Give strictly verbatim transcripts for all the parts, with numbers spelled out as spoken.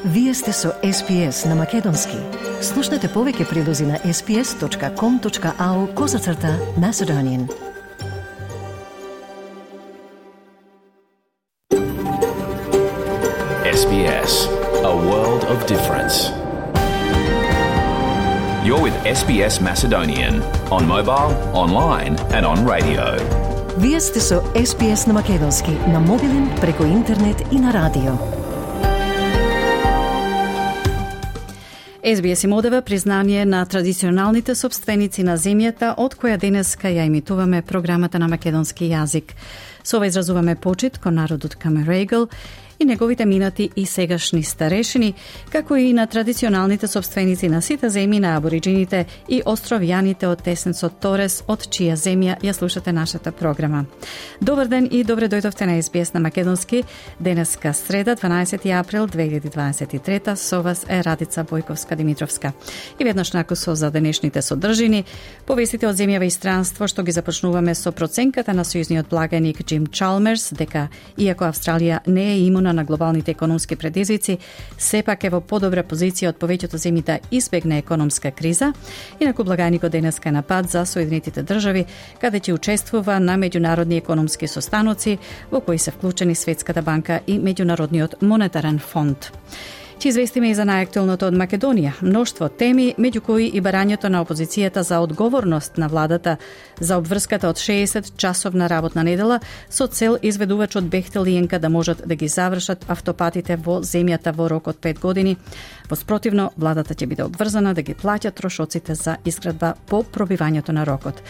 Вие сте со Ес Би Ес на Македонски. Слушнете повеќе прилози на ес би ес точка ком точка ау козацрта Macedonian. Ес Би Ес, a world of difference. You're with Ес Би Ес Macedonian on mobile, online and on radio. Вие сте со Ес Би Ес на Македонски на мобилен, преку интернет и на радио. Ес Би Ес им одева признание на традиционалните собственици на земјата, од која денеска ја имитуваме програмата на македонски јазик. Со ова изразуваме почит кон народот Камерегл и неговите минати и сегашни старешини, како и на традиционалните собственици на сите земји на абориджините и островјаните од теснецот Торес, од чија земја ја слушате нашата програма. Добар ден и добре дојдовте на Ес Би Ес на Македонски. Денеска среда, дванаесети април две илјади дваесет и трета, со вас е Радица Бојковска-Димитровска. И веднаш накусо за денешните содржини, повестите од земјава и странство, што ги започнуваме со проценката на сојузниот благаник Џим Чалмерс, дека иако Австралија не е имуна на глобалните економски предизвици, сепак е во подобра позиција од повеќето земји да избегне економска криза. Инаку благаникот денеска е на пат за Соединетите држави, каде ќе учествува на меѓународни економски состаноци во кои се вклучени Светската банка и Меѓународниот монетарен фонд. Ќе известиме и за најактуелното од Македонија. Мноштво теми, меѓу кои и барањето на опозицијата за одговорност на владата за обврската од шеесет часовна работна недела со цел изведувачот Бехтел и Енка да можат да ги завршат автопатите во земјата во рок од пет години. Во спротивно, владата ќе биде обврзана да ги плаќа трошоците за изградба по пробивањето на рокот.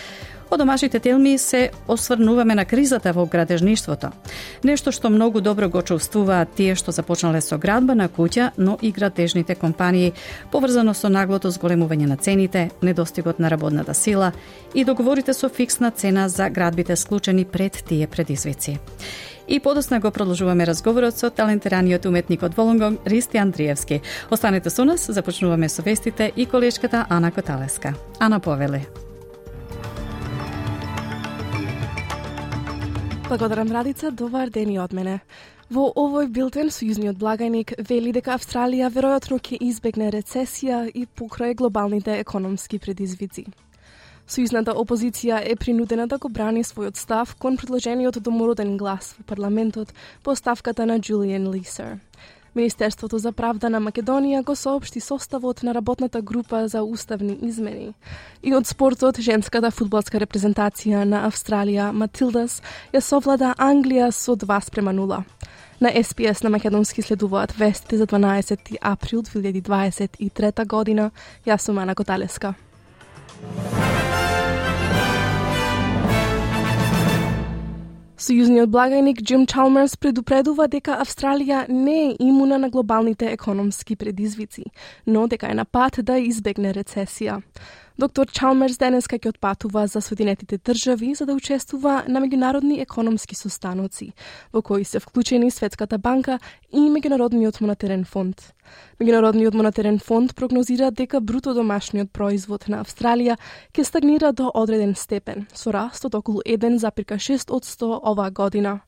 Од домашните телми се осврнуваме на кризата во градежништвото. Нешто што многу добро го чувствуваат тие што започнале со градба на куќа, но и градежните компании, поврзано со наглото зголемување на цените, недостигот на работната сила и договорите со фиксна цена за градбите склучени пред тие предизвици. И подосна го продолжуваме разговорот со талентираниот уметник од Волонгон, Ристи Андриевски. Останете со нас, започнуваме со вестите и колешката Ана Коталеска. Ана, повели. Благодарам, Радица, добар ден и од мене. Во овој билтен сојузниот благаник вели дека Австралија веројатно ќе избегне рецесија и покрај глобалните економски предизвици. Сојузната опозиција е принудена да го брани својот став кон предложениот домороден глас во парламентот по ставката на Джулијан Лисер. Министерството за правда на Македонија го соопшти составот на работната група за уставни измени. И од спортот, женската фудбалска репрезентација на Австралија, Матилдас, ја совлада Англија со два спрема нула. На Ес Би Ес на Македонски следуваат вестите за дванаесети април две илјади дваесет и трета година. Јас сум Ана Коталеска. Сојузниот благаник Џим Чалмерс предупредува дека Австралија не е имуна на глобалните економски предизвици, но дека е на пат да избегне рецесија. Доктор Чалмерс денеска ќе отпатува за Соединетите држави за да учествува на меѓународни економски состаноци, во кои се вклучени Светската банка и Меѓународниот монетарен фонд. Меѓународниот монетарен фонд прогнозира дека бруто домашниот производ на Австралија ќе стагнира до одреден степен, со раст од околу еден зарез шест одсто оваа година.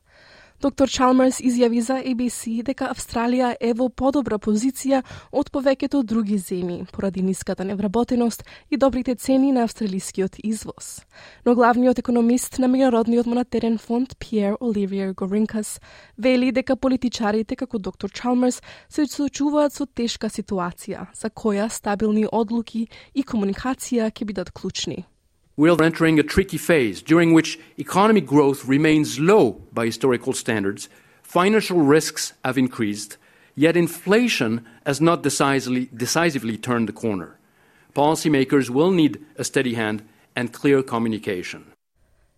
Доктор Чалмерс изјави за Ей Би Си дека Австралија е во подобра позиција од повеќето други земји, поради ниската невработеност и добрите цени на австралискиот извоз. Но главниот економист на Меѓународниот монетарен фонд Пиер Оливиер Горинкас вели дека политичарите како доктор Чалмерс се соочуваат со тешка ситуација, за која стабилни одлуки и комуникација ќе бидат клучни. We're entering a tricky phase during which economic growth remains low by historical standards, financial risks have increased, yet inflation has not decisively, decisively turned the corner. Policymakers will need a steady hand and clear communication.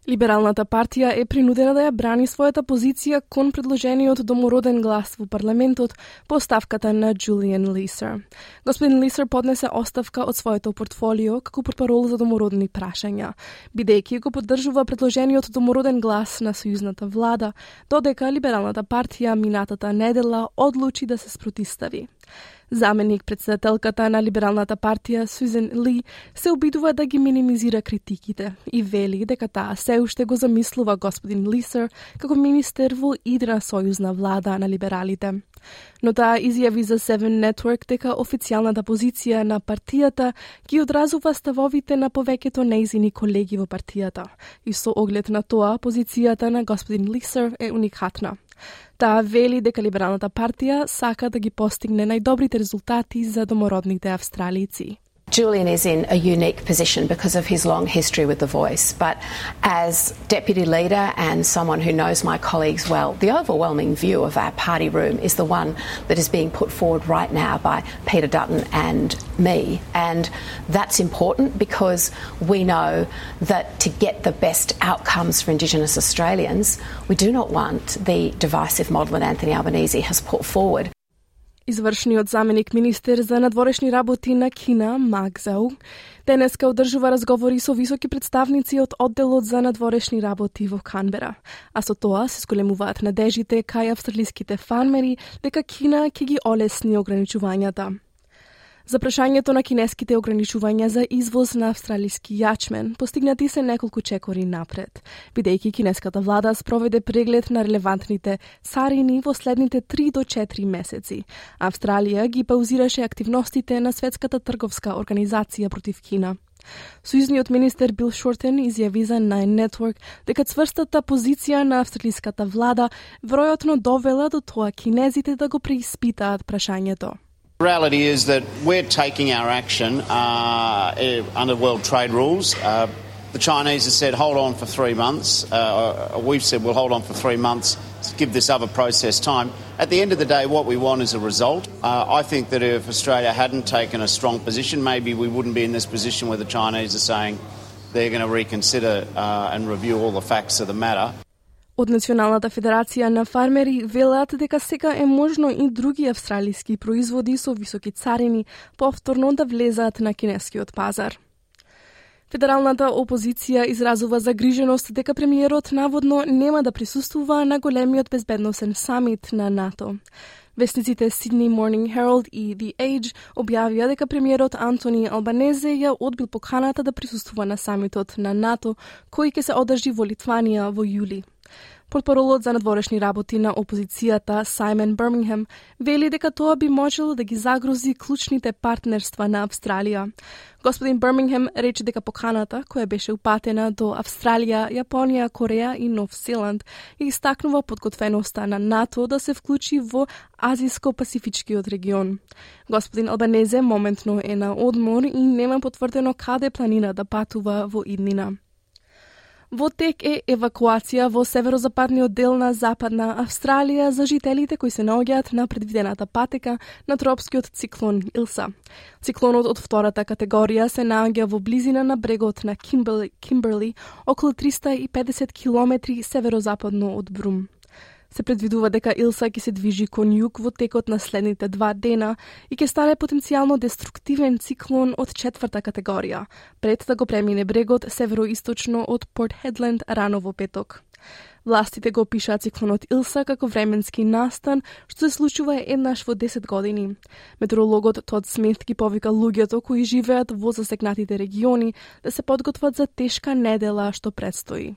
Либералната партија е принудена да ја брани својата позиција кон предложениот домороден глас во парламентот по ставката на Джулијан Лисер. Господин Лисер поднесе оставка од своето портфолио како портпарол за домородни прашања, бидејќи го поддржува предложениот домороден глас на сојузната влада, додека либералната партија минатата недела одлучи да се спротистави. Заменик председателката на Либералната партија Сюзан Ли се обидува да ги минимизира критиките и вели дека таа се уште го замислува господин Лисер како министер во идна сојузна влада на либералите. Но таа изјави за Seven Network дека официјалната позиција на партијата ги одразува ставовите на повеќето нејзини колеги во партијата и со оглед на тоа позицијата на господин Лисер е уникатна. Таа вели дека Либералната партија сака да ги постигне најдобрите резултати за домородните австралици. Julian is in a unique position because of his long history with The Voice, but as deputy leader and someone who knows my colleagues well, the overwhelming view of our party room is the one that is being put forward right now by Peter Dutton and me, and that's important because we know that to get the best outcomes for Indigenous Australians, we do not want the divisive model that Anthony Albanese has put forward. Извршниот заменик министер за надворешни работи на Кина, Ма Кзау, денеска одржува разговори со високи представници од одделот за надворешни работи во Канбера, а со тоа се зголемуваат надежите кај австралиските фармери дека Кина ќе ги олесни ограничувањата. За прашањето на кинеските ограничувања за извоз на австралиски јачмен, постигнати се неколку чекори напред, бидејќи кинеската влада спроведе преглед на релевантните царини во следните три до четири месеци. Австралија ги паузираше активностите на Светската трговска организација против Кина. Сојузниот министер Бил Шортен изјави за Nine Network дека цврстата позиција на австралиската влада веројатно довела до тоа кинезите да го преиспитаат прашањето. The reality is that we're taking our action uh, under world trade rules. Uh, the Chinese have said hold on for three months. Uh, we've said we'll hold on for three months to give this other process time. At the end of the day, what we want is a result. Uh, I think that if Australia hadn't taken a strong position, maybe we wouldn't be in this position where the Chinese are saying they're going to reconsider uh, and review all the facts of the matter. Од Националната федерација на фармери велат дека сега е можно и други австралиски производи со високи царини повторно да влезаат на кинескиот пазар. Федералната опозиција изразува загриженост дека премиерот наводно нема да присуствува на големиот безбедносен самит на НАТО. Вестниците Sydney Morning Herald и The Age објавија дека премиерот Антони Албанезе ја одбил поканата да присуствува на самитот на НАТО, кој ќе се одржи во Литванија во јули. Портпаролот за надворешни работи на опозицијата Саймон Бирмингем вели дека тоа би можело да ги загрози клучните партнерства на Австралија. Господин Бирмингем рече дека поканата, која беше упатена до Австралија, Јапонија, Кореја и Нов Зеланд, и истакнува подготвеноста на НАТО да се вклучи во Азиско-Пасифичкиот регион. Господин Албанезе моментно е на одмор и нема потврдено каде планира да патува во иднина. Во тек е евакуација во северозападниот дел на Западна Австралија за жителите кои се наоѓаат на предвидената патека на тропскиот циклон Илса. Циклонот од втората категорија се наоѓа во близина на брегот на Кимберли, Кимберли, околу триста и педесет километри северозападно од Брум. Се предвидува дека Илса ќе се движи кон југ во текот на следните два дена и ќе стане потенцијално деструктивен циклон од четврта категорија, пред да го премине брегот североисточно од Порт Хедленд рано во петок. Властите го опишаат циклонот Илса како временски настан, што се случува еднаш во десет години. Метеорологот Тод Смит ги повика луѓето кои живеат во засегнатите региони да се подготват за тешка недела што предстои.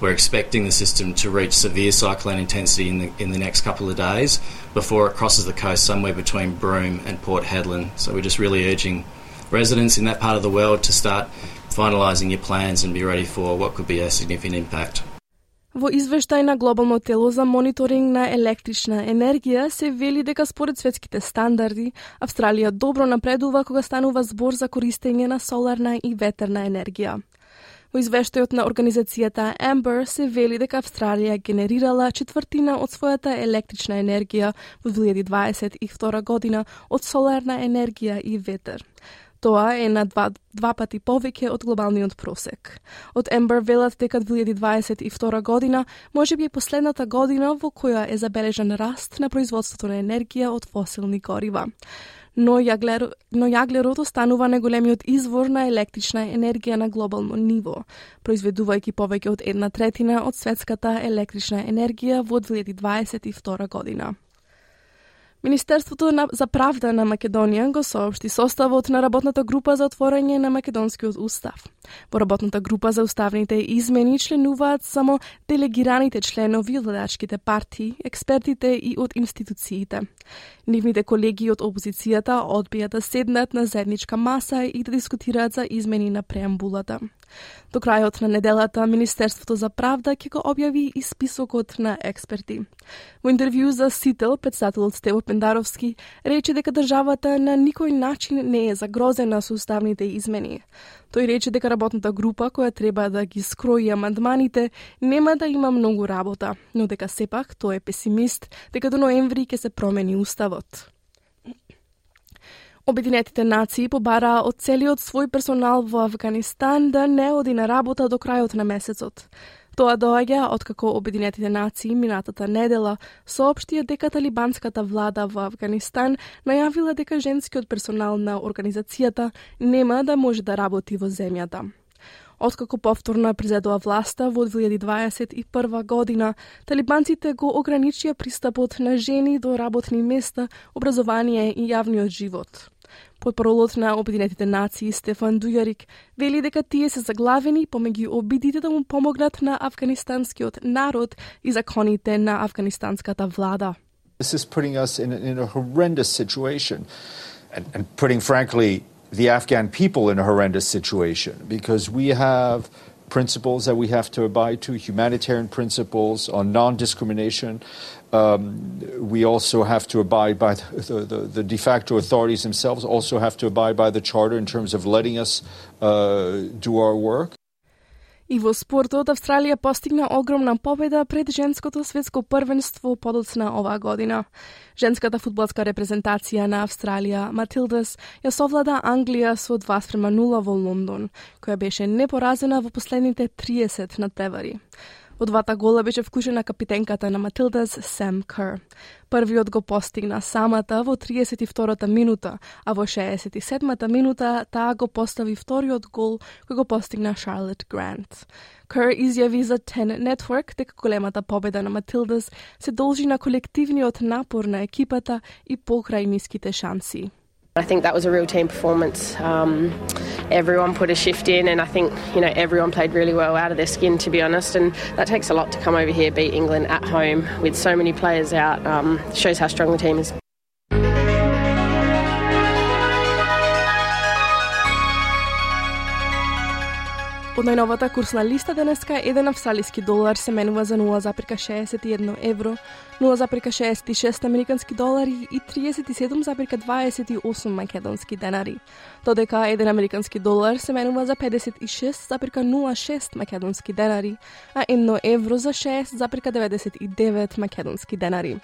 We're expecting the system to reach severe cyclone intensity in the, in the next couple of days before it crosses the coast somewhere between Broome and Port Hedland. So we're just really urging residents in that part of the world to start finalising your plans and be ready for what could be a significant impact. Во извештај на Глобално тело за мониторинг на електрична енергија се вели дека според светските стандарди Австралија добро напредува кога станува збор за користење на соларна и ветерна енергија. Во извештајот на организацијата Amber се вели дека Австралија генерирала четвртина од својата електрична енергија во две илјади дваесет и втора година од соларна енергија и ветер. Тоа е на два, два пати повеќе од глобалниот просек. Од Amber велат дека две илјади дваесет и втора година можеби е последната година во која е забележан раст на производството на енергија од фосилни горива. Но, јаглер, но јаглерот останува најголемиот извор на електрична енергија на глобално ниво, произведувајќи повеќе од една третина од светската електрична енергија во две илјади дваесет и втора година. Министерството за правда на Македонија го соопшти составот на работната група за отворање на македонскиот устав. Во работната група за уставните измени членуваат само делегираните членови од владачките партии, експертите и од институциите. Нивните колеги од опозицијата одбија да седнат на заедничка маса и да дискутираат за измени на преамбулата. До крајот на неделата Министерството за правда ќе го објави и списокот на експерти. Во интервју за Сител, председателот Стево Пендаровски рече дека државата на никој начин не е загрозена со уставните измени. Тој рече дека работната група која треба да ги скрои амандманите нема да има многу работа, но дека сепак тој е песимист дека до ноември ќе се промени уставот. Обединетите нации побараа од целиот свој персонал во Афганистан да не оди на работа до крајот на месецот. Тоа доаѓа откако Обединетите нации минатата недела соопштија дека талибанската влада во Афганистан најавила дека женскиот персонал на организацијата нема да може да работи во земјата. Откако повторно презедува власта во две илјади дваесет и прва година, талибанците го ограничија пристапот на жени до работни места, образование и јавниот живот. Потпоролот на Обединетите нации Стефан Дујарик вели дека тие се заглавени помеѓу обидите да му помогнат на афганистанскиот народ и законите на афганистанската влада. This is putting us in a, in a horrendous situation and, and putting, frankly, the Afghan people in a horrendous situation because we have principles that we have to abide to, humanitarian principles on non-discrimination. Um, we also have to abide by the, the, the de facto authorities themselves, also have to abide by the charter in terms of letting us uh, do our work. И во спортот, Австралија постигна огромна победа пред женското светско првенство подоцна оваа година. Женската фудбалска репрезентација на Австралија, Матилдас, ја совлада Англија со два спрема нула во Лондон, која беше непоразена во последните триесет надпревари. Во двата гола беше вклучена капитенката на Матилдас, Сам Кер. Првиот го постигна самата во триесет и втората минута, а во шеесет и седмата минута таа го постави вториот гол кој го постигна Шарлот Грант. Кер изјави за Ten Network дека големата победа на Матилдас се должи на колективниот напор на екипата и покрај ниските шанси. I think that was a real team performance. Um, everyone put a shift in, and I think you know everyone played really well out of their skin, to be honest. And that takes a lot to come over here, beat England at home with so many players out. Um, shows how strong the team is. Од најновата курсна листа денеска, еден австралиски долар се менува за нула запирка шеесет и едно евро, нула запирка шеесет и шест американски долари и триесет и седум запирка дваесет и осум македонски денари. Додека еден американски долар се менува за педесет и шест запирка нула шест македонски денари, а едно евро за шест запирка деветдесет и девет македонски денари.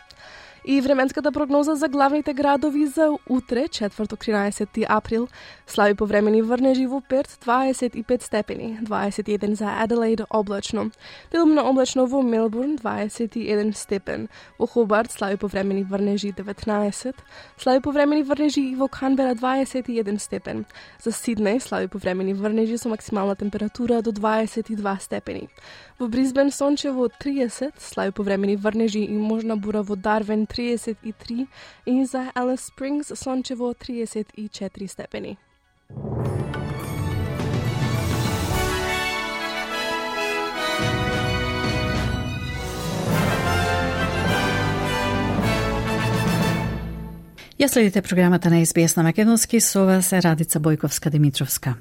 И временската прогноза за главните градови за утре, четврток тринаесети април, слаби повремени врнежи во Перт дваесет и пет степени, дваесет и еден за Аделаид облачно, делумно облачно во Мелбурн дваесет и еден степен, во Хобарт слаби повремени врнежи деветнаесет, слаби повремени врнежи и во Канбера дваесет и еден степен, за Сиднеј слаби повремени врнежи со максимална температура до дваесет и два степени. Во Брисбен сончево триесет, слаби повремени врнежи и можна бура во Дарвин триесет и три и за Алис Спрингс сончево триесет и четири степени. Ја следите програмата на Ес Би Ес на македонски, со вас е Радица Бојковска-Димитровска.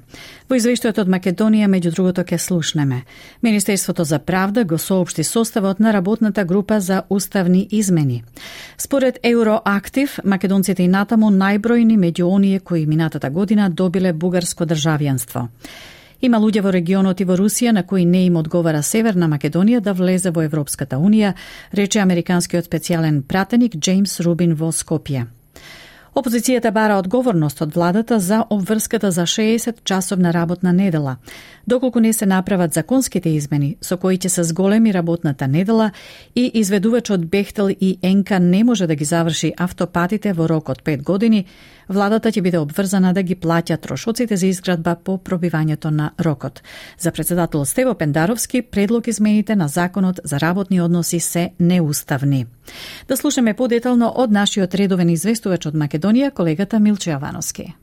Во извештајот од Македонија, меѓу другото, ке слушнеме. Министерството за правда го соопшти составот на работната група за уставни измени. Според Евроактив, македонците и натаму најбројни меѓу оние кои минатата година добиле бугарско државјанство. Има луѓе во регионот и во Русија на кои не им одговара Северна Македонија да влезе во Европската Унија, рече американскиот специјален пратеник Джеймс Рубин во Скопје. Опозицијата бара одговорност од владата за обврската за шеесет часовна работна недела, доколку не се направат законските измени со кои ќе се зголеми работната недела и изведувачот Бехтел и Енка не може да ги заврши автопатите во рок од пет години, владата ќе биде обврзана да ги плаќа трошоците за изградба по пробивањето на рокот. За председател Стево Пендаровски, предлог измените на законот за работни односи се неуставни. Да слушаме подетално од нашиот редовен известувач од Македонија, колегата Милчо Јавановски.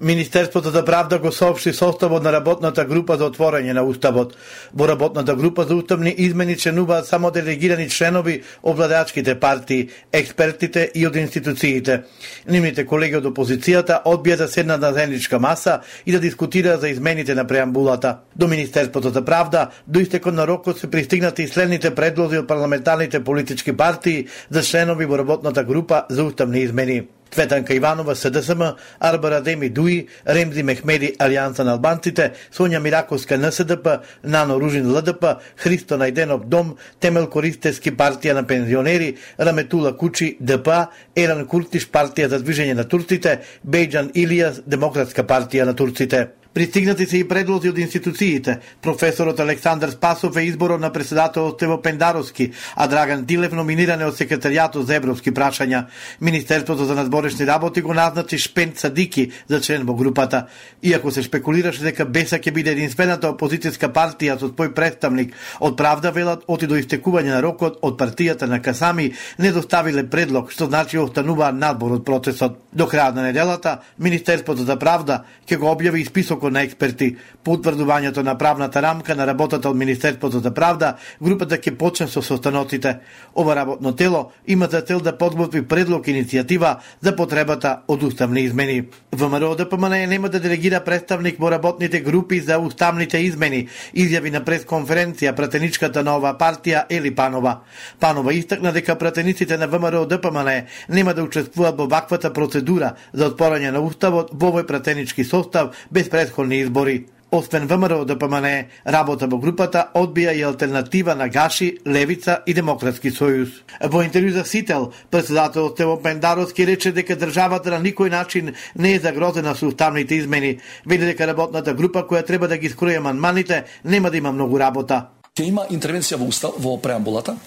Министерството за правда го соопшти составот на работната група за отворање на Уставот. Во работната група за уставни измени членуваат само делегирани членови од владеачките партии, експертите и од институциите. Нивните колеги од опозицијата одбија да седнат на заедничка маса и да дискутираат за измените на преамбулата. До Министерството за правда до истекот на рокот се пристигнати и следните предлози од парламентарните политички партии за членови во работната група за уставни измени: Цветанка Иванова, СДСМ, Арбар Адеми Дуи, Ремзи Мехмеди, Алијанса на албанците, Сонја Мираковска, НСДП, Нано Ружин, ЛДП, Христо Најденов, Дом, Темел Користевски, партија на пензионери, Раметула Кучи, ДПА, Еран Куртиш, партија за движење на турците, Бејџан Илијас, Демократска партија на турците. Пристигнати се и предлози од институциите. Професорот Александар Спасов е изборот на председател Стево Пендаровски, а Драган Дилев номиниране од секретаријатот за европски прашања. Министерството за надворешни работи го назначи Шпент Садики за член во групата. Иако се шпекулираше дека Беса ќе биде единствената опозицијска партија со свој представник, од Правда велат оти до истекување на рокот од партијата на Касами не доставиле предлог, што значи останува надбор од процесот. До крајот на неделата Министерството за правда ќе го објави и список на експерти. По утврдувањето на правната рамка на работата од Министерството за правда, групата ќе почне со состаноците. Ова работно тело има за цел да подготви предлог иницијатива за потребата од уставни измени. ВМРО ДПМН нема да делегира представник во работните групи за уставните измени, изјави на пресконференција пратеничката на оваа партија Ели Панова. Панова истакна дека пратениците на ВМРО ДПМН нема да учествуваат во ваквата процедура за отпорање на уставот во овој пратенички состав без предходни избори. Освен ВМРО ДПМН, работа во групата одбија и алтернатива на Гаши, Левица и Демократски сојуз. Во интервју за Сител, председател Стево Пендаровски рече дека државата на никој начин не е загрозена со уставните измени. Вели дека работната група која треба да ги скрои амандманите нема да има многу работа. Ќе има интервенција во устав, во преамбулата,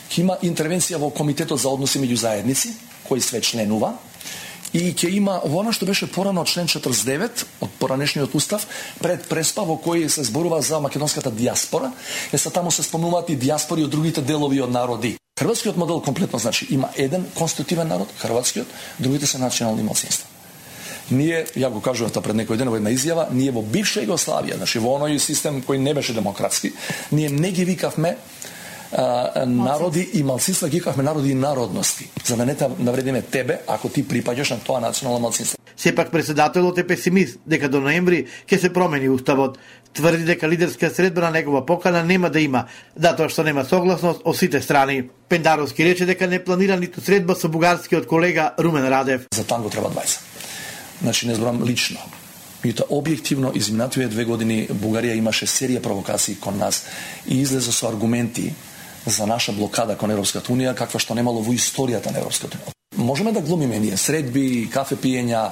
ќе има интервенција во Комитетот за односи меѓу заедници, кој све членува, и ќе има во она што беше порано од член четрдесет и девет од поранешниот устав, пред преспа во кој се зборува за македонската дијаспора, е са таму се спомнуваат и дијаспори од другите делови од народи. Хрватскиот модел комплетно значи има еден конститутивен народ, хрватскиот, другите се национални малцинства. Ние, ја го кажував пред некој ден во една изјава, ние во бивша Југославија, значи во оној систем кој не беше демократски, ние не ги викавме Uh, народи и малцинства, ги викавме народи и народности, за да не те навредиме тебе ако ти припаѓаш на тоа национално малцинство. Сепак председателот е песимист дека до ноември ќе се промени уставот. Тврди дека лидерска средба на негова покана нема да има, затоа што нема согласност од сите страни. Пендаровски рече дека не планира ниту средба со бугарскиот колега Румен Радев. За танго треба двајца. Значи не зборам лично. Меѓутоа, објективно, изминативе две години Бугарија имаше серија провокации кон нас и излезе со аргументи за наша блокада кон Европската унија, каква што немало во историјата на Европската унија. Можеме да глумиме ние средби, кафе пиења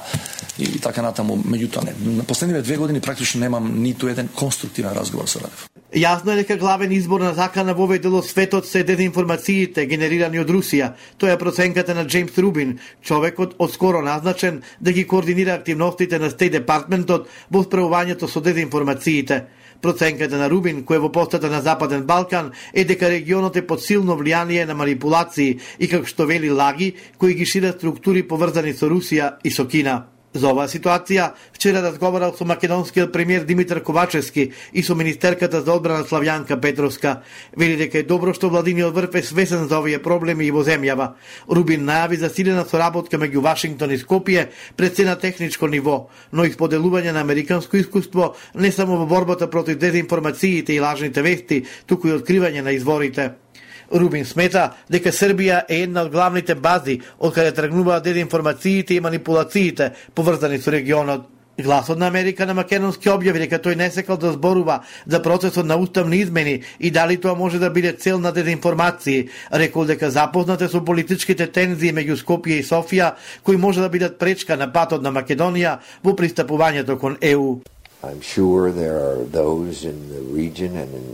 и така натаму, меѓутоа не. На последниве две години практично немам ниту еден конструктивен разговор со Радев. Јасно е дека главен избор на закана во овој дел од светот се дезинформациите генерирани од Русија. Тоа е проценката на Джеймс Рубин, човекот одскоро назначен да ги координира активностите на Стейт Департментот во справувањето со дезинформациите. Проценката на Рубин, кој е во постата на Западен Балкан, е дека регионот е под силно влијание на манипулации и, како што вели, лаги кои ги шират структури поврзани со Русија и со Кина. За оваа ситуација вчера разговарал со македонскиот премиер Димитар Ковачевски и со министерката за одбрана Славјанка Петровска. Вели дека е добро што владиниот врв е свесен за овие проблеми и во земјава. Рубин најави засилена соработка меѓу Вашингтон и Скопје пред се на техничко ниво, но и споделување на американско искуство не само во борбата против дезинформациите и лажните вести, туку и откривање на изворите. Рубин смета дека Србија е една од главните бази од каде тргнуваат дезинформациите и манипулациите поврзани со регионот. Гласот на Америка на македонски објави дека тој не сакал да зборува за процесот на уставни измени и дали тоа може да биде цел на дезинформации. Рекол дека запознате со политичките тензии меѓу Скопје и Софија, кои може да бидат пречка на патот на Македонија во пристапувањето кон Е У. I'm sure there are those in the region and in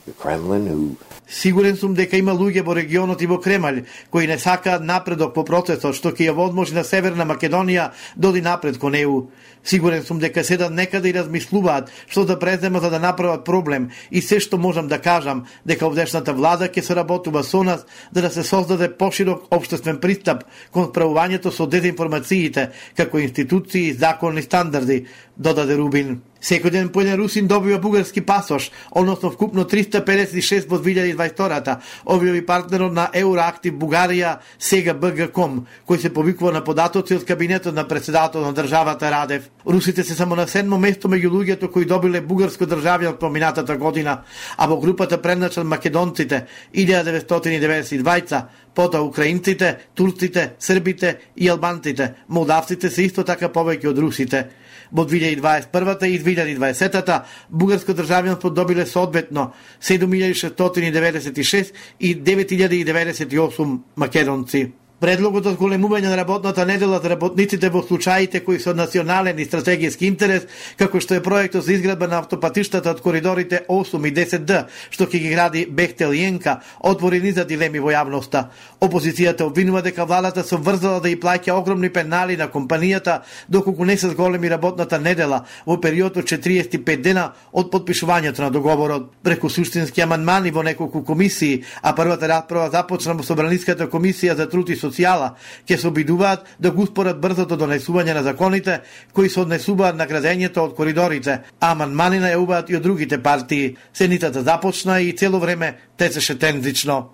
the Kremlin who Сигурен сум дека има луѓе во регионот и во Кремљ кои не сакаат напредок по процесот што ќе ја возможи на Северна Македонија да оди напред кон Е У. Сигурен сум дека седат некаде и размислуваат што да презема за да направат проблем и се што можам да кажам дека овдешната влада ќе соработува со нас за да се создаде поширок општествен пристап кон справувањето со дезинформациите како институции и законни стандарди, додаде Рубин. Секој ден по еден русин добива бугарски пасош, односно вкупно триста педесет и шест во две илјади и дваесет и втора, објави партнерот на Евроактив Бугарија, сега Б Г Ком, кој се повикува на податоци од кабинетот на председател на државата Радев. Русите се само на седмо место меѓу луѓето кои добиле бугарско државјанство минатата година, а во групата предначат македонците илјада деветстотини и деветдесет и двајца, потоа украинците, турците, србите и албанците. Молдавците се исто така повеќе од русите. Во две илјади и дваесет и прва и две илјади и дваесета бугарско државјанство добиле соодветно седум илјади шестстотини деветдесет и шест и девет илјади деветдесет и осум македонци. Предлогот за зголемување на работната недела за работниците во случаите кои се од национален и стратегиски интерес, како што е проектот за изградба на автопатиштата од коридорите осум и десет Д, што ќе ги гради Бехтел и Енка, отвори низа дилеми во јавноста. Опозицијата обвинува дека владата се врзала да ја плаќа огромни пенали на компанијата доколку не се зголеми работната недела во период од четириесет и пет дена од подпишувањето на договорот. Преку суштински амандмани во неколку комисии, а првата расправа започна во Собраниската комисија за труд и социјала, ќе се обидуваат да го успорат брзото донесување на законите кои се однесуваат на градењето од коридорите, а амандмани најавуваат и од другите партии. Седницата започна и цело време течеше тензично.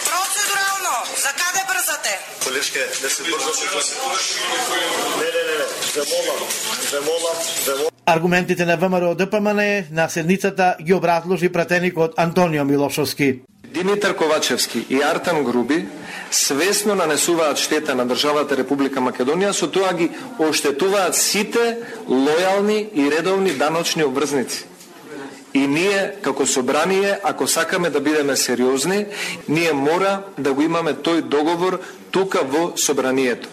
Процедурално, за каде брзате? Колешке, да се брзате. Не, не, не, ве молам, ве молам, ве молам. Аргументите на Вэ Ем Р О Д П М Н на седницата ги образложи пратеникот Антонио Милошовски. Димитар Ковачевски и Артан Груби свесно нанесуваат штета на државата Република Македонија, со тоа ги оштетуваат сите лојални и редовни даночни обврзници. И ние, како собрание, ако сакаме да бидеме сериозни, ние мора да го имаме тој договор тука во собранието.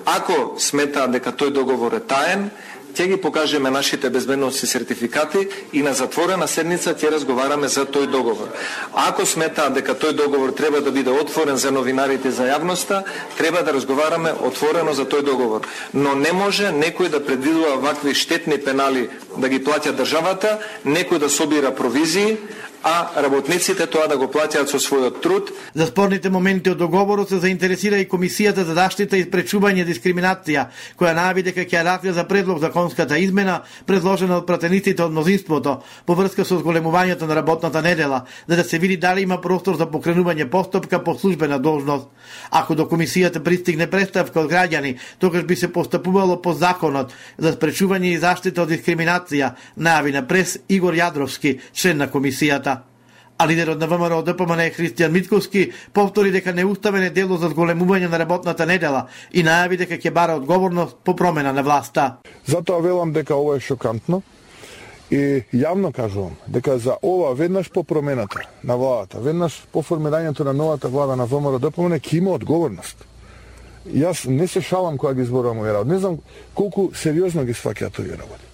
Ако сметаат дека тој договор е таен, ќе ги покажеме нашите безбедносни сертификати и на затворена седница ќе разговараме за тој договор. Ако сметаат дека тој договор треба да биде отворен за новинарите, за јавноста, треба да разговараме отворено за тој договор. Но не може некој да предвидува вакви штетни пенали да ги плаќа државата, некој да собира провизии, а работниците тоа да го плаќаат со својот труд. За спорните моменти од договорот се заинтересира и Комисијата за заштита и спречување дискриминација, која најави дека ќе разгледа за предлог законската измена предложена од пратениците од мнозинството по врска со зголемувањето на работната недела, за да се види дали има простор за покренување постапка по службена должност. Ако до Комисијата пристигне представка од граѓани, тогаш би се постапувало по законот за спречување и заштита од дискриминација, најави на прес Игор Јадровски, член на Комисијата. А лидерот на Вэ Ем Р О Д П М Н Христијан Митковски повтори дека неуставен е дело за зголемување на работната недела и најави дека ќе бара одговорност по промена на власта. Затоа велам дека ова е шокантно и јавно кажувам дека за ова веднаш по промената на владата, веднаш по формирањето на новата влада на Вэ Ем Р О Д П М Н ќе има одговорност. Јас не се шалам кога ги зборувам овие работи. Не знам колку сериозно ги сваќаат овие работи.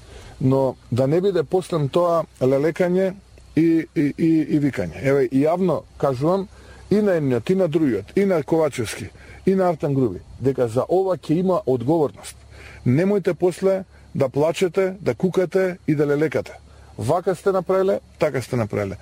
Но да не биде после тоа лелекање И, и, и, и викање. Еве, и јавно кажувам и на едниот, и на другиот, и на Ковачевски, и на Артан Груби, дека за ова ќе има одговорност. Немојте после да плачете, да кукате и да лелекате. Вака сте направиле, така сте направиле.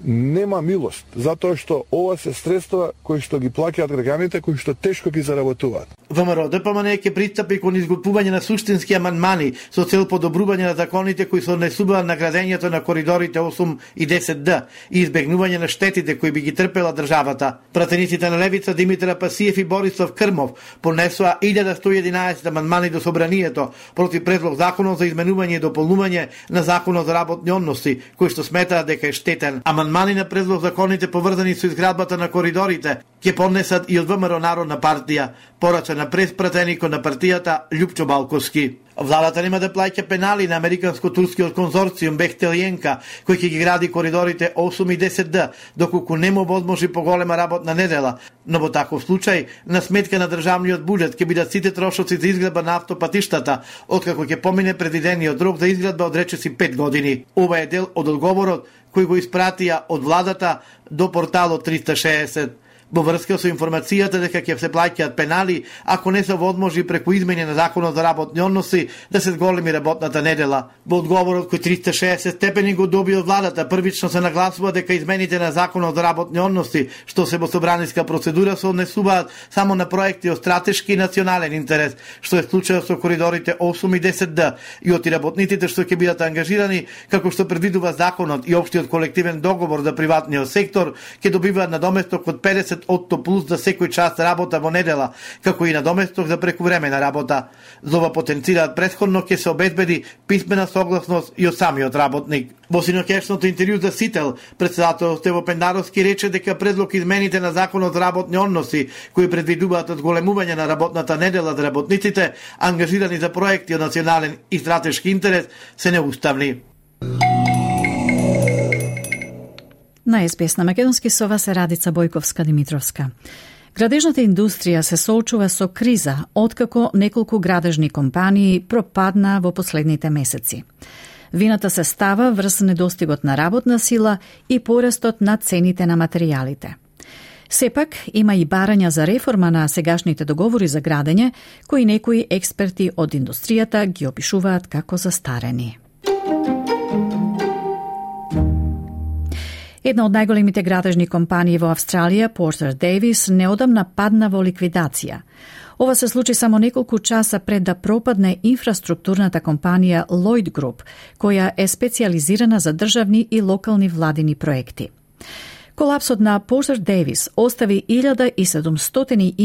Нема милост, затоа што ова се средства кои што ги плаќаат граѓаните, кои што тешко ги заработуваат. Вэ Ем Р О Д П М Н ќе пристапи кон изготвување на суштински амандмани со цел подобрување на законите кои се однесуваат на градењето на коридорите осум и десет Д и избегнување на штетите кои би ги трпела државата. Пратениците на Левица Димитар Пасиев и Борислав Крмов понесоа илјада сто и единаесет амандмани до собранието против предлог законот за изменување и дополнување на законот за работни односи, кој што сметаат дека е штетен. Амандмани на предлог законите поврзани со изградбата на коридорите ќе поднесат и од ВМРО Народна партија, порача на преспратеникот на партијата Љупчо Балковски. Владата нема да плаќа пенали на американско-турскиот конзорциум Бехтелиенка, кој ќе ги гради коридорите осум и десет Д, доколку не му возможи поголема работна недела. Но во таков случај, на сметка на државниот буџет ќе бидат сите трошоци за изградба на автопатиштата, откако ќе помине предвидениот рок за изградба од речиси пет години. Ова е дел од одговорот кој го испратија од владата до порталот триста шеесет. Во врска со информацијата дека ќе се плаќаат пенали ако не се возможи преку измене на законот за работни односи да се зголеми работната недела. Во одговорот кој триста шеесет степени го доби од владата, првично се нагласува дека измените на законот за работни односи, што се во собраниска процедура, се однесуваат само на проекти од стратешки и национален интерес, што е случајот со коридорите осум и десет Д, и од работниците што ќе бидат ангажирани, како што предвидува законот и општиот колективен договор за приватниот сектор, ќе добиваат надоместок од педесет отсто плюс за секој час работа во недела, како и надоместок за прекувремена работа. За ова потенцираат претходно ќе се обезбеди писмена согласност и од самиот работник. Во синоќешното интервју за Сител, председател Стево Пендаровски рече дека предлог измените на законот за работни односи, кои предвидуваат одголемување на работната недела за работниците ангажирани за проекти од национален и стратешки интерес, се неуставни. На Ес Би Ес на македонски со вас е Радица Бојковска-Димитровска. Градежната индустрија се соочува со криза откако неколку градежни компании пропадна во последните месеци. Вината се става врз недостигот на работна сила и порастот на цените на материјалите. Сепак, има и барања за реформа на сегашните договори за градење, кои некои експерти од индустријата ги опишуваат како застарени. Една од најголемите градежни компании во Австралија, Porter Davis, неодамна падна во ликвидација. Ова се случи само неколку часа пред да пропадне инфраструктурната компанија Lloyd Group, која е специализирана за државни и локални владини проекти. Колапсот на Porter Davis остави илјада и седумстотини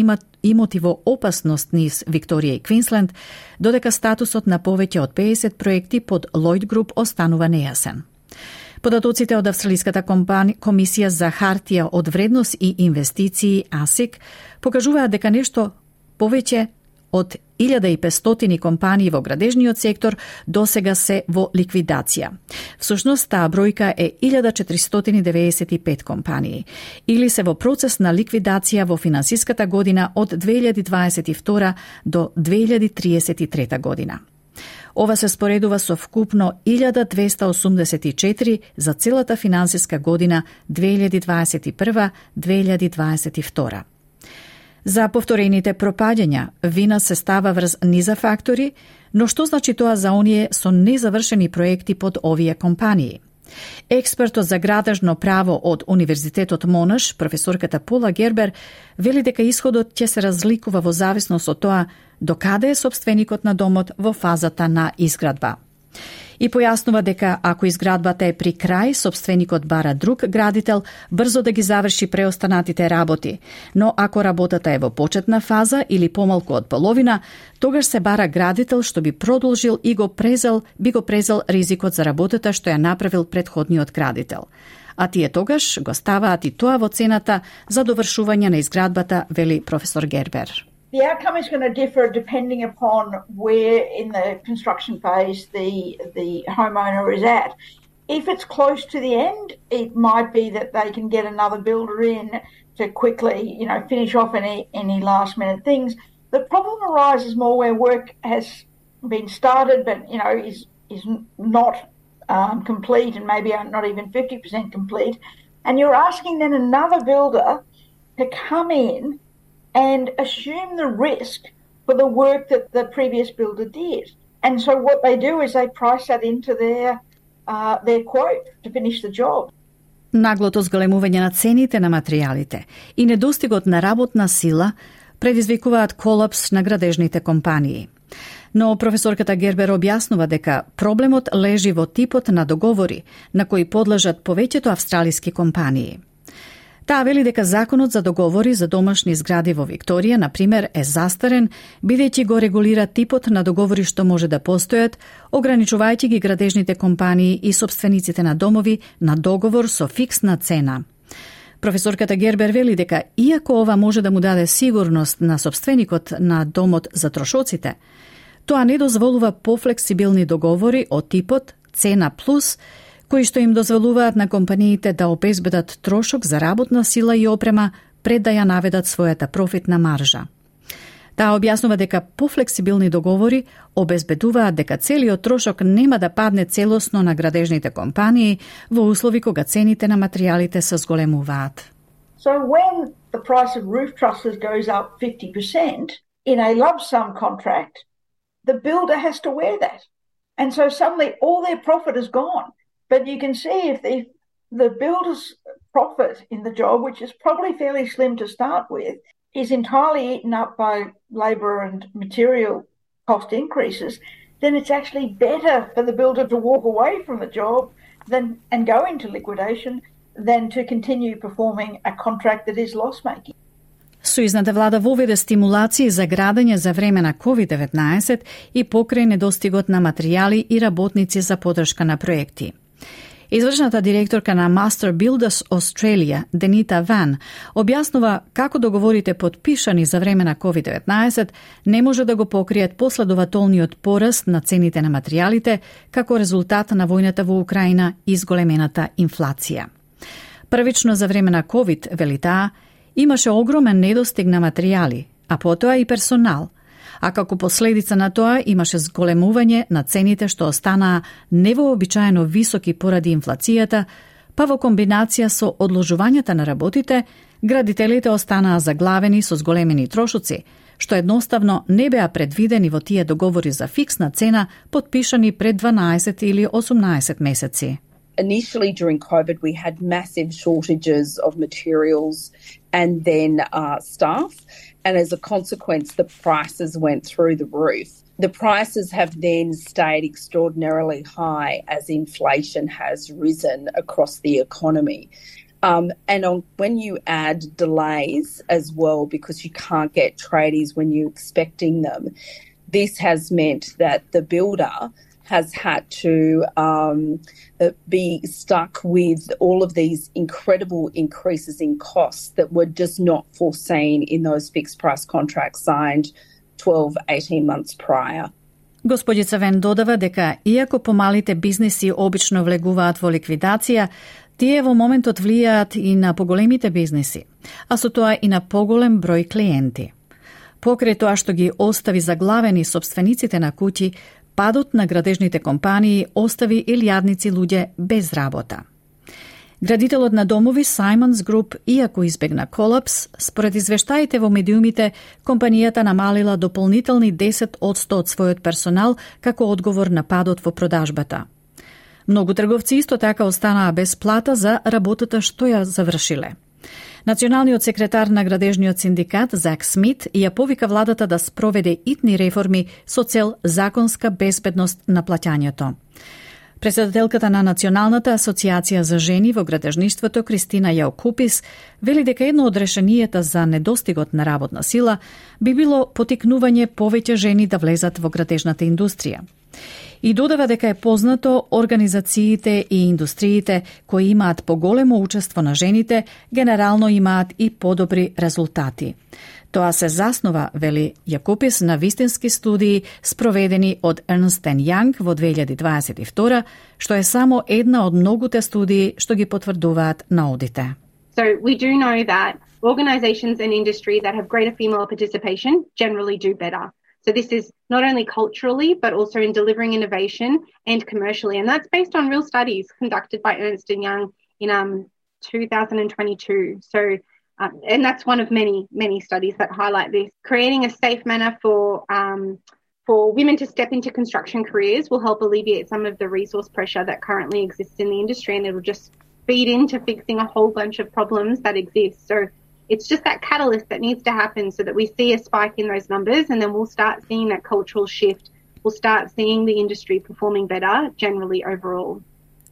имоти во опасност низ Викторија и Квинсленд, додека статусот на повеќе од педесет проекти под Lloyd Group останува нејасен. Податоците од Австралиската компани... комисија за хартија од вредност и инвестиции А С И К покажуваат дека нешто повеќе од илјада и петстотини компании во градежниот сектор досега се во ликвидација. Всушност, таа бројка е илјада четиристотини деветдесет и пет компании, или се во процес на ликвидација во финансиската година од две илјади дваесет и втора до две илјади триесет и трета година. Ова се споредува со вкупно илјада двеста осумдесет и четири за целата финансиска година две илјади дваесет и прва - две илјади дваесет и втора. За повторените пропаѓања вина се става врз низа фактори, но што значи тоа за оние со незавршени проекти под овие компании? Експертот за градежно право од Универзитетот Монаш, професорката Пола Гербер, вели дека исходот ќе се разликува во зависност од тоа докаде е собственикот на домот во фазата на изградба. И појаснува дека ако изградбата е при крај, собственикот бара друг градител брзо да ги заврши преостанатите работи, но ако работата е во почетна фаза или помалку од половина, тогаш се бара градител што би продолжил и го презел, би го презел ризикот за работата што ја направил претходниот градител. А тие тогаш го ставаат и тоа во цената за довршување на изградбата, вели професор Гербер. The outcome is going to differ depending upon where in the construction phase the the homeowner is at. If it's close to the end, it might be that they can get another builder in to quickly, you know, finish off any any last minute things. The problem arises more where work has been started, but you know is is not um, complete and maybe not even fifty percent complete, and you're asking then another builder to come in and assume the risk for the work that the previous builder did. And so what they do is they price that into their uh, their quote to finish the job. Наглото зголемување на цените на материјалите и недостигот на работна сила предизвикуваат колапс на градежните компании. Но професорката Гербер објаснува дека проблемот лежи во типот на договори на кои подлежат повеќето австралиски компании. Таа вели дека законот за договори за домашни згради во Викторија, например, е застарен, бидејќи го регулира типот на договори што може да постојат, ограничувајќи ги градежните компании и собствениците на домови на договор со фиксна цена. Професорката Гербер вели дека иако ова може да му даде сигурност на собственикот на домот за трошоците, тоа не дозволува пофлексибилни договори од типот цена плюс, кои што им дозволуваат на компаниите да обезбедат трошок за работна сила и опрема пред да ја наведат својата профитна маржа. Таа објаснува дека пофлексибилни договори обезбедуваат дека целиот трошок нема да падне целосно на градежните компании во услови кога цените на материјалите се зголемуваат. So when the price of roof trusses goes up fifty percent in a lump sum contract, the builder has to wear that. And so suddenly all their profit is gone. But you can see if the, the builder's profit in the job, which is probably fairly slim to start with, is entirely eaten up by labour and material cost increases, then it's actually better for the builder to walk away from the job than and go into liquidation than to continue performing a contract that is loss-making. Сојузната влада воведе стимулации за градење за време на ковид деветнаесет и покрај недостигот на материјали и работници за поддршка на проекти. Извршната директорка на Master Builders Australia, Денита Ван, објаснува како договорите подпишани за време на ковид деветнаесет не може да го покријат последователниот пораст на цените на материјалите како резултат на војната во Украина и зголемената инфлација. Првично за време на ковид, вели таа, имаше огромен недостиг на материјали, а потоа и персонал, а како последица на тоа имаше зголемување на цените што останаа невообичаено високи поради инфлацијата, па во комбинација со одложувањата на работите, градителите останаа заглавени со зголемени трошоци, што едноставно не беа предвидени во тие договори за фиксна цена подпишани пред дванаесет или осумнаесет месеци. Initially during COVID, we had massive shortages of materials and then uh, staff. And as a consequence, the prices went through the roof. The prices have then stayed extraordinarily high as inflation has risen across the economy. Um, and on, when you add delays as well, because you can't get tradies when you're expecting them, this has meant that the builder has had to um, be stuck with all of these incredible increases in costs that were just not foreseen in those fixed price contracts signed twelve, eighteen months prior. Господица Вен додава дека иако помалите бизниси обично влегуваат во ликвидација, тие во моментот влијаат и на поголемите бизниси, а со тоа и на поголем број клиенти. Покрај тоа што ги остави заглавени собствениците на куќи, падот на градежните компании остави илјадници луѓе без работа. Градителот на домови Simons Group, иако избегна колапс, според извештаите во медиумите, компанијата намалила дополнителни десет одсто од својот персонал како одговор на падот во продажбата. Многу трговци исто така останаа без плата за работата што ја завршиле. Националниот секретар на градежниот синдикат Зак Смит ја повика владата да спроведе итни реформи со цел законска безбедност на плаќањето. Председателката на Националната асоциација за жени во градежништвото Кристина Јаокупис вели дека едно од решенијата за недостигот на работна сила би било потикнување повеќе жени да влезат во градежната индустрија. И додава дека е познато организациите и индустриите кои имаат поголемо учество на жените генерално имаат и подобри резултати. Тоа се заснова, вели Јакупис, на вистински студии спроведени од Ernst and Young во две илјади дваесет и втора, што е само една од многуте студии што ги потврдуваат наудите. So we do know that organizations and industry that have greater female participation generally do better. So this is not only culturally, but also in delivering innovation and commercially. And that's based on real studies conducted by Ernst and Young in um, two thousand twenty-two. So, um, and that's one of many, many studies that highlight this. Creating a safe manner for um, for women to step into construction careers will help alleviate some of the resource pressure that currently exists in the industry, and it'll just feed into fixing a whole bunch of problems that exist. So it's just that catalyst that needs to happen so that we see a spike in those numbers, and then we'll start seeing that cultural shift. We'll start seeing the industry performing better generally overall.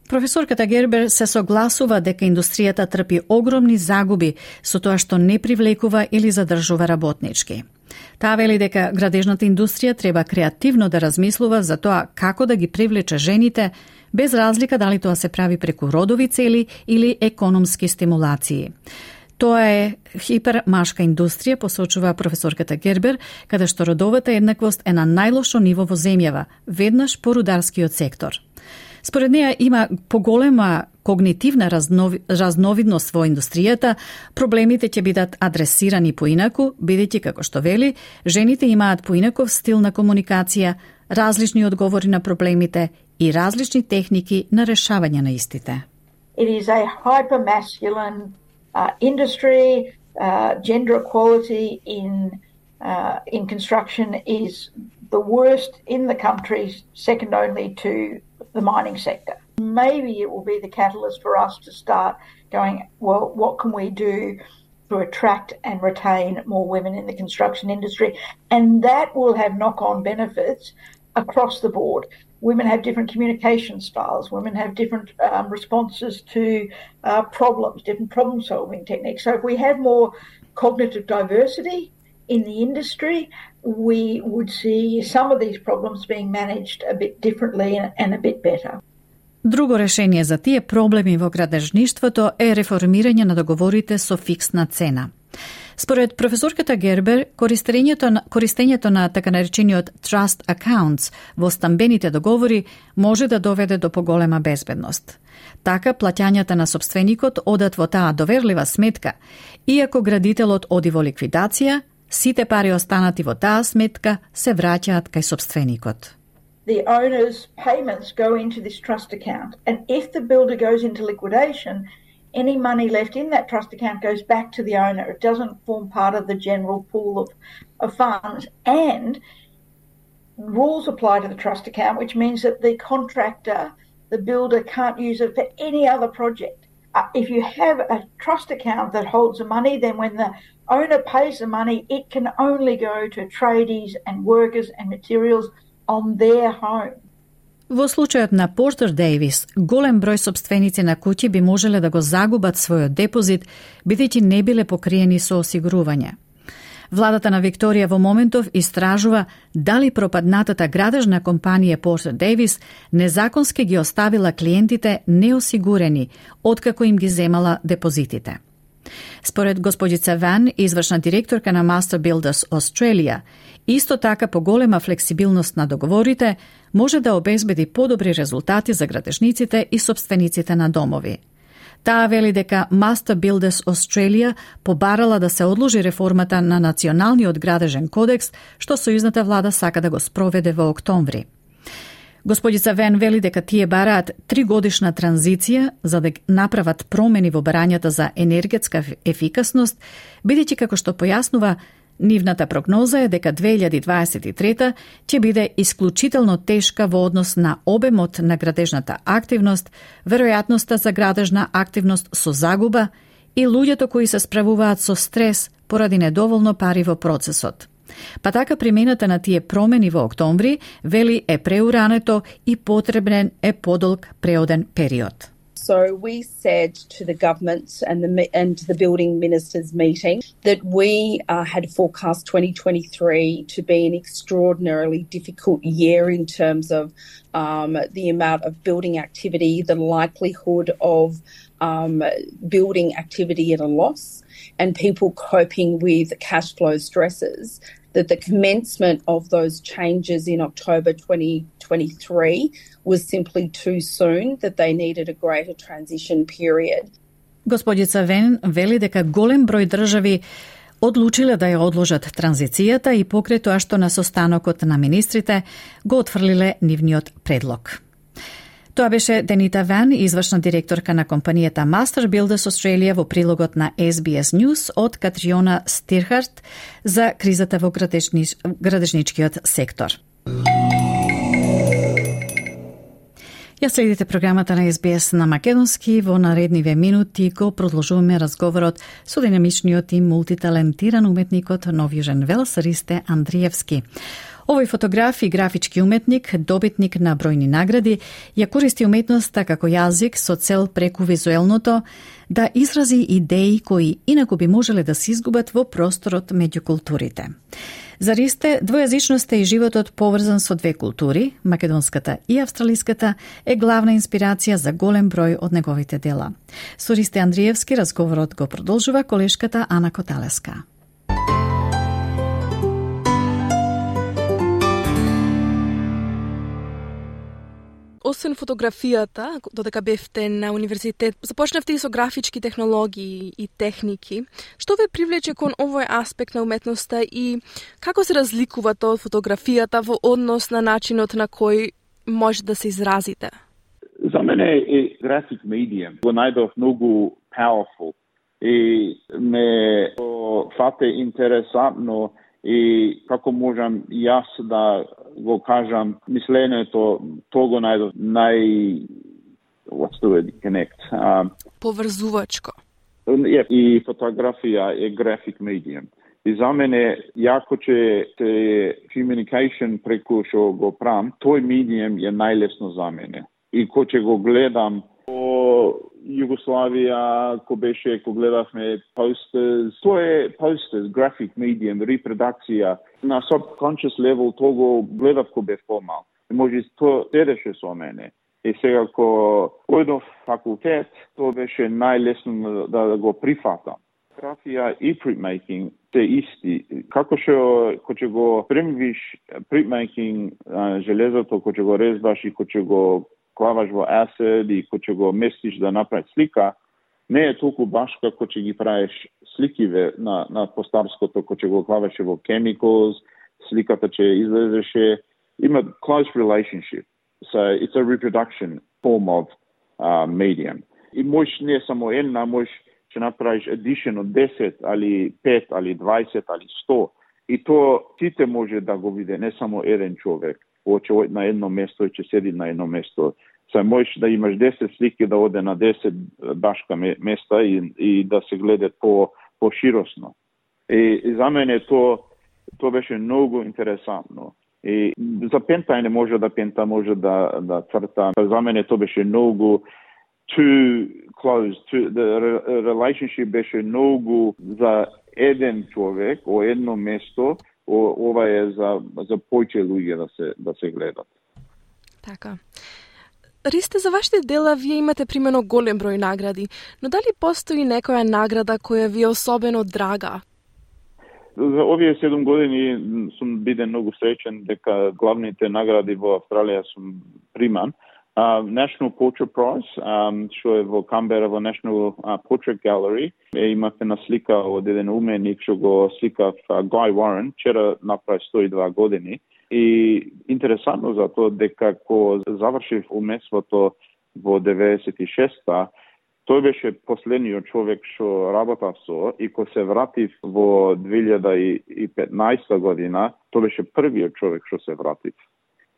Професорката Гербер се согласува дека индустријата трпи огромни загуби со тоа што не привлекува или задржува работнички. Таа вели дека градежната индустрија треба креативно да размислува за тоа како да ги привлече жените, без разлика дали тоа се прави преку родови цели или економски стимулации. Тоа е хипермашка индустрија, посочува професорката Гербер, каде што родовата еднаквост е на најлошо ниво во земјава, веднаш по рударскиот сектор. Според неја има поголема когнитивна разнови, разновидност во индустријата, проблемите ќе бидат адресирани поинаку, бидејќи, како што вели, жените имаат поинаков стил на комуникација, различни одговори на проблемите и различни техники на решавање на истите. It is a hyper-masculine uh, industry. Uh, gender equality in uh, in construction is the worst in the country, second only to the mining sector. Maybe it will be the catalyst for us to start going, well, what can we do to attract and retain more women in the construction industry? And that will have knock-on benefits across the board. Women have different communication styles. Women have different um, responses to uh, problems, different problem-solving techniques. So if we had more cognitive diversity in the industry, we would see some of these problems being managed a bit differently and, and a bit better. Друго решение за тие проблеми во градежништвото е реформирање на договорите со фиксна цена. Според професорката Гербер, користењето на, користењето на така наречениот trust accounts во стамбените договори може да доведе до поголема безбедност. Така, плаќањата на сопственикот одат во таа доверлива сметка, иако градителот оди во ликвидација, сите пари останати во таа сметка се враќаат кај сопственикот. The owner's payments go into this trust account, and if the builder goes into liquidation, any money left in that trust account goes back to the owner. It doesn't form part of the general pool of, of funds. And rules apply to the trust account, which means that the contractor, the builder, can't use it for any other project. Uh, if you have a trust account that holds the money, then when the owner pays the money, it can only go to tradies and workers and materials on their home. Во случајот на Портер Дейвис, голем број сопственици на куќи би можеле да го загубат својот депозит, бидејќи не биле покриени со осигурување. Владата на Викторија во моментов истражува дали пропаднатата градежна компанија Портер Дейвис незаконски ги оставила клиентите неосигурени, откако им ги земала депозитите. Според господица Ван, извршна директорка на Master Builders Australia, исто така поголема флексибилност на договорите може да обезбеди подобри резултати за градежниците и сопствениците на домови. Таа вели дека Master Builders Australia побарала да се одложи реформата на Националниот градежен кодекс, што сојузната влада сака да го спроведе во октомври. Господица Вен вели дека тие бараат тригодишна транзиција за да направат промени во барањата за енергетска ефикасност, бидејќи, како што појаснува, нивната прогноза е дека две илјади дваесет и трета ќе биде исклучително тешка во однос на обемот на градежната активност, веројатноста за градежна активност со загуба и луѓето кои се справуваат со стрес поради недоволно пари во процесот. Па така примената на тие промени во октомври, вели, е преурането и потребен е подолг преоден период. So we said to the government and the and the building ministers meeting that we uh, had forecast twenty twenty-three to be an extraordinarily difficult year in terms of um, the amount of building activity, the likelihood of um, building activity at a loss, and people coping with cash flow stresses. That the commencement of those changes in October twenty twenty-three was simply too soon, that they needed a greater transition period. Господица Вен вели дека голем број држави одлучиле да ја одложат транзицијата и покрај тоа што на состанокот на министрите го отфрлиле нивниот предлог. Тоа беше Денита Ван, извршна директорка на компанијата Master Builders Australia во прилогот на Ес Би Ес News од Катриона Стирхарт за кризата во градежнич... градежничкиот сектор. Ја следите програмата на Ес Би Ес на македонски. Во наредниве минути го продолжуваме разговорот со динамичниот и мултиталентиран уметникот Нов Јужен Велс Ристе Андриевски. Овој фотограф и графички уметник, добитник на бројни награди, ја користи уметноста како јазик со цел преку визуелното да изрази идеи кои инаку би можеле да се изгубат во просторот меѓу културите. За Ристе, двојазичноста и животот поврзан со две култури, македонската и австралиската, е главна инспирација за голем број од неговите дела. Со Ристе Андриевски разговорот го продолжува колешката Ана Коталеска. Освен фотографијата, додека бевте на универзитет, започнавте и со графички технологии и техники. Што ве привлече кон овој аспект на уметноста и како се разликува тоа од фотографијата во однос на начинот на кој може да се изразите? За мене е график медиум го најдов многу powerful и ме фате интересантно и како можам јас да го кажам мисленето, тоа го најдов нај what's the word, connect. Um, Поврзувачко. Yeah, и фотографија е график медиум. И за мене, јако че те communication преку што го прам, тој медиум е најлесно за мене. И ко че го гледам по Југославија, ко беше, ко гледавме posters, тоа е posters, graphic medium, репродукција. На subconscious level тоа го гледав ко бев помал. И може тоа седеше со мене. И сега ко ојдов факултет, тоа беше најлесно да го прифатам. Графија и printmaking се исти. Како што ко ќе го примвиш printmaking железото, ко ќе го резбаш и ко ќе го клаваш во acid и ко ќе го местиш да направиш слика, не е толку баш како ќе ги правиш сликиве на, на постарското, ко ќе го клаваше во chemicals, сликата ќе излезеше. Има close relationship. So it's a reproduction form of uh, medium. И можеш не само една, можеш ќе направиш edition од десет, али пет, али дваесет, али сто. И тоа сите може да го види, не само еден човек. Ќе оди на едно место и ќе седи на едно место. Са можеш да имаш десет слики да оде на десет башка места и, и да се гледа по поширосно. И, и за мене тоа тоа беше многу интересантно. И за пента не може да пента, може да да црта. За мене тоа беше многу too close. To, the relationship беше многу за еден човек, о едно место. Ова е за за повеќе луѓе да се да се гледат. Така. Ристе, за вашите дела вие имате примерно голем број награди, но дали постои некоја награда која ви е особено драга? За овие седум години сум биден многу среќен дека главните награди во Австралија сум приман. Uh, National Portrait Prize, um, што е во Камбера во National uh, Portrait Gallery. Е, имате на слика од еден уменик што го сликав uh, Guy Warren, вчера направи сто и две години. И интересантно за тоа дека ко завршив умеството во деветдесет и шеста, тој беше последниот човек што работав со и ко се вратив во две илјади и петнаесета година, тој беше првиот човек што се вратив.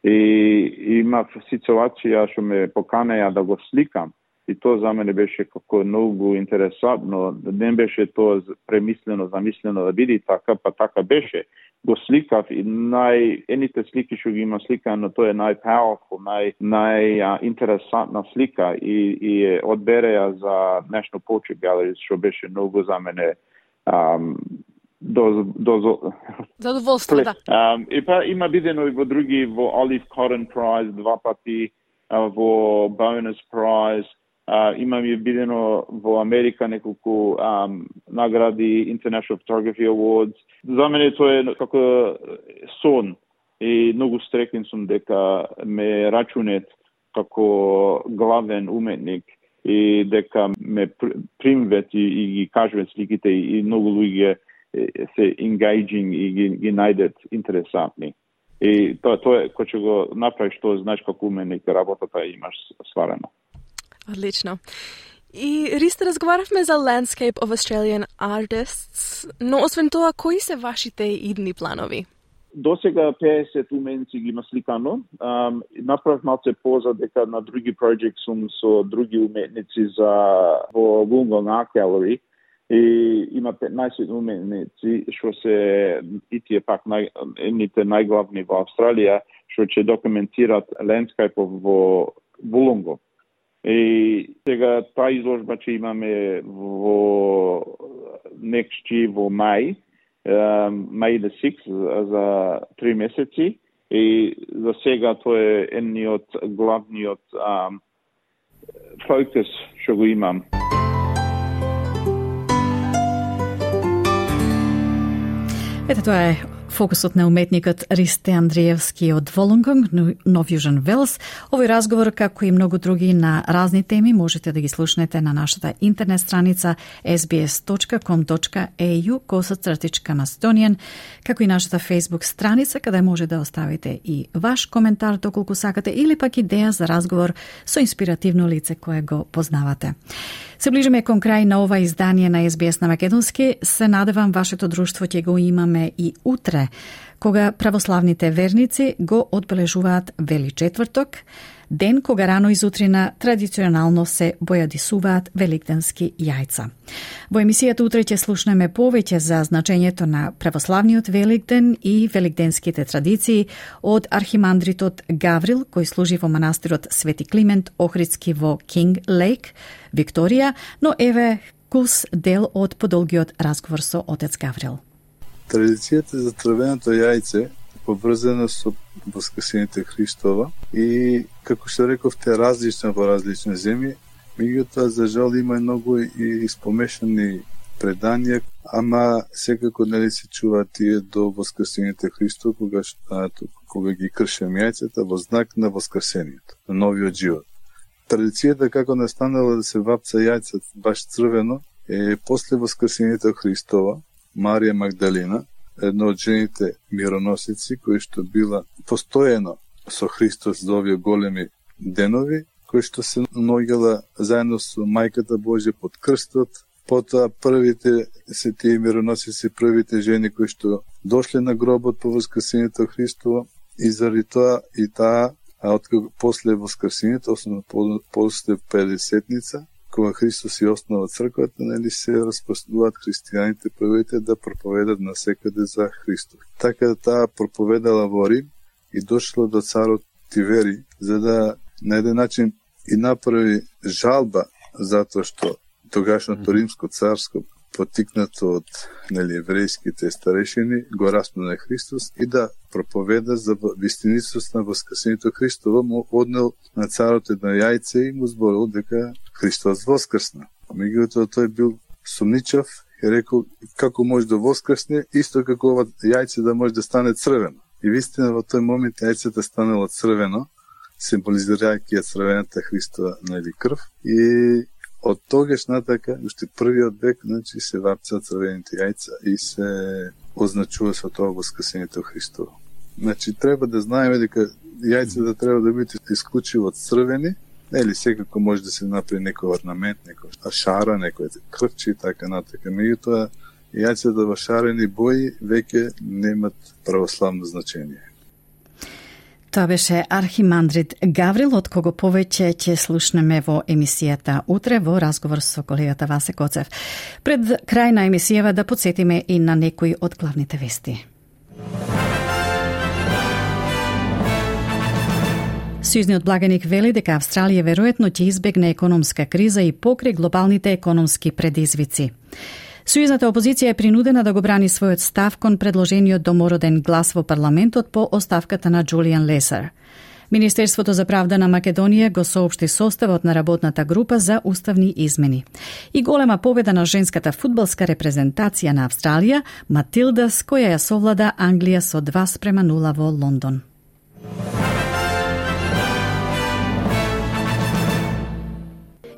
И имав ситуација што ме поканеа да го сликам и тоа за мене беше како многу интересантно, не беше тоа премислено, замислено да биде така, па така беше. Го сликав и нај ените слики што ги има сликано, тоа е нај-powerful, нај најинтересантна слика и и е одбереа за National Portrait Gallery што беше многу за мене um, До, до, задоволство, да. Um, и па има бидено и во други, во Olive Cotton Prize два пати, uh, во Bonus Prize, uh, имам и бидено во Америка неколку um, награди, International Photography Awards. За мене тоа е како сон и многу стрекен сум дека ме рачунет како главен уметник и дека ме примвет и, и ги кажуват сликите и многу луѓе се engaging и ги, ги најдет интересантни. И тоа тоа кој ќе го направиш тоа, знаеш како уменик работата имаш сварена. Одлично. И Ристе, разговаравме за Landscape of Australian Artists, но освен тоа, кои се вашите идни планови? До сега петдесет уменици ги има сликано. Um, направив малце поза дека на други проекти сум со други уметници за во Wollongong Art Gallery. И има петнаесет уметници што се и тие пак нај, едните најглавни во Австралија што ќе документират лендскапов во Вулонго. И сега таа изложба ќе имаме во некшти во мај, мај the sixth за три месеци. И за сега тоа е едниот главниот um, фокус што го имам. Ете, тоа е фокусот на уметникот Ристе Андриевски од Волонгонг, Нов Јужен Велс. Овој разговор, како и многу други на разни теми, можете да ги слушнете на нашата интернет страница ес би ес точка ком точка ей ю косацртичка Macedonian, како и нашата Facebook страница, каде може да оставите и ваш коментар доколку сакате, или пак идеја за разговор со инспиративно лице кое го познавате. Се ближиме кон крај на ова издание на ес би ес на македонски. Се надевам вашето друштво ќе го имаме и утре, кога православните верници го одбележуваат Вели четврток, ден кога рано изутрина традиционално се бојадисуваат великденски јајца. Во емисијата утре ќе слушнеме повеќе за значењето на православниот Великден и великденските традиции од архимандритот Гаврил, кој служи во манастирот Свети Климент Охридски во Кинг Лейк, Викторија, но еве кус дел од подолгиот разговор со отец Гаврил. Традицијата за црвеното јајце поврзана со Воскресението Христова и, како што рековте, различна во различни земји, меѓутоа за жал има многу и испомешани предања, ама секако нели се чуваат тие до Воскресението Христова, кога, кога ги кршем јајцата во знак на Воскресението, на новиот живот. Традицијата како настанала да се вапца јајца баш црвено е после Воскресението Христова, Марија Магдалина, една од жените мироносици, кои што била постојано со Христос за овие големи денови, кои што се наоѓала заедно со Мајката Божја под крстот. Потоа првите се тие мироносици, првите жени кои што дошле на гробот по Воскресението Христово, и заради тоа и таа, а откако после Воскресението, основно после Педесетница, кога Христос и основа црквата, нели се распространуваат христијаните првите да проповедат насекаде за Христос. Така таа проповедала во Рим и дошла до царот Тивери, за да на еден начин и направи жалба затоа што тогашното римско царско, потикнато од нели еврејските старешини, го распна Христос и да проповеда за вистинитост на Воскресението Христово, му однел на царот едно јајце и му зборил дека Христос воскрсна. Меѓутоа тој бил сумничав и рекол како може да воскрсне, исто како ова јајце да може да стане црвено. И вистина во тој момент јајцето станало црвено, символизирајќи ја црвената Христова нели крв, и од тогаш натака, уште првиот век, значи се вапцаат црвените јајца и се означува со тоа Воскресението Христово. Значи треба да знаеме дека јајцата треба да бидат исклучиво црвени, нели секако може да се направи некој орнамент, некој шара, некој крвче и така натака. Меѓутоа јајцата во шарени бои веќе немат православно значење. Тоа беше архимандрит Гаврил, од кого повеќе ќе слушнеме во емисијата утре во разговор со колегата Васе Коцев. Пред крај на емисијава да подсетиме и на некои од главните вести. Сојузниот благаник вели дека Австралија веројатно ќе избегне економска криза и покри глобалните економски предизвици. Сојузната опозиција е принудена да го брани својот став кон предложениот домороден глас во парламентот по оставката на Джулијан Лесер. Министерството за правда на Македонија го соопшти составот на работната група за уставни измени. И голема победа на женската фудбалска репрезентација на Австралија, Матилдас, која ја совлада Англија со два спрема нула во Лондон.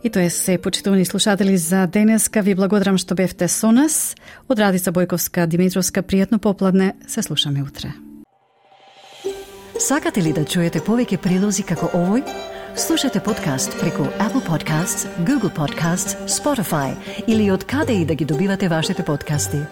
И тоа е се, почитувани слушатели, за денеска. Ви благодарам што бевте со нас. Од Радица Бојковска Димитровска, пријатно попладне. Се слушаме утре. Сакате ли да чуете повеќе прилози како овој? Слушате подкаст преку Apple Podcasts, Google Podcasts, Spotify или од каде и да ги добивате вашите подкасти.